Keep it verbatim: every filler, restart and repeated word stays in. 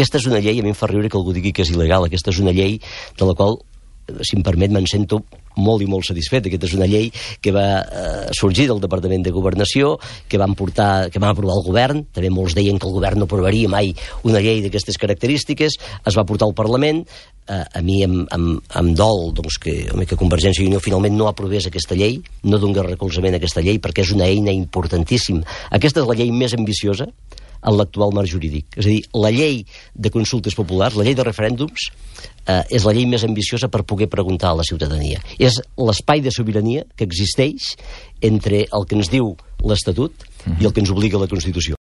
Aquesta és una llei, a mi em fa riure que algú digui que és il·legal, aquesta és una llei de la qual, si em permet, me'n sento molt i molt satisfet. Aquesta és una llei que va eh, sorgir del Departament de Governació, que van portar, que van aprovar el govern. També molts deien que el govern no aprovaria mai una llei d'aquestes característiques. Es va portar al Parlament. Eh, a mi em, em, em dol doncs, que, home, que Convergència i Unió finalment no aprovés aquesta llei, no donés recolzament a aquesta llei, perquè és una eina importantíssima. Aquesta és la llei més ambiciosa en l'actual marc jurídic. És a dir, la llei de consultes populars, la llei de referèndums, eh, és la llei més ambiciosa per poder preguntar a la ciutadania. És l'espai de sobirania que existeix entre el que ens diu l'Estatut uh-huh. i el que ens obliga la Constitució.